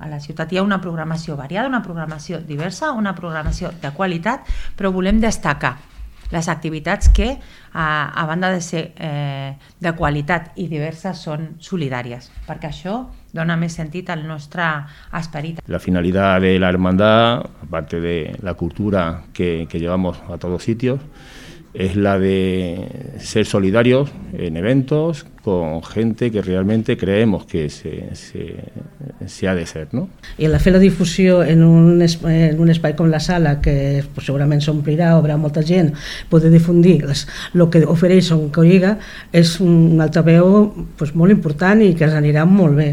A la ciutat hi ha una programació variada, una programació diversa, una programació de qualitat, però volem destacar les activitats que, a banda de ser de qualitat i diverses, són solidàries, perquè això dona més sentit al nostre esperit. La finalidad de la hermandad, aparte de la cultura que llevamos a todos sitios, es la de ser solidarios en eventos con gente que realmente creemos que se ha de ser, ¿no? I el fer la difusió en un espai com la sala, que segurament s'omplirà, haurà molta gent, poder difundir el que ofereix un Coriga és un altaveu molt important i que ens anirà molt bé.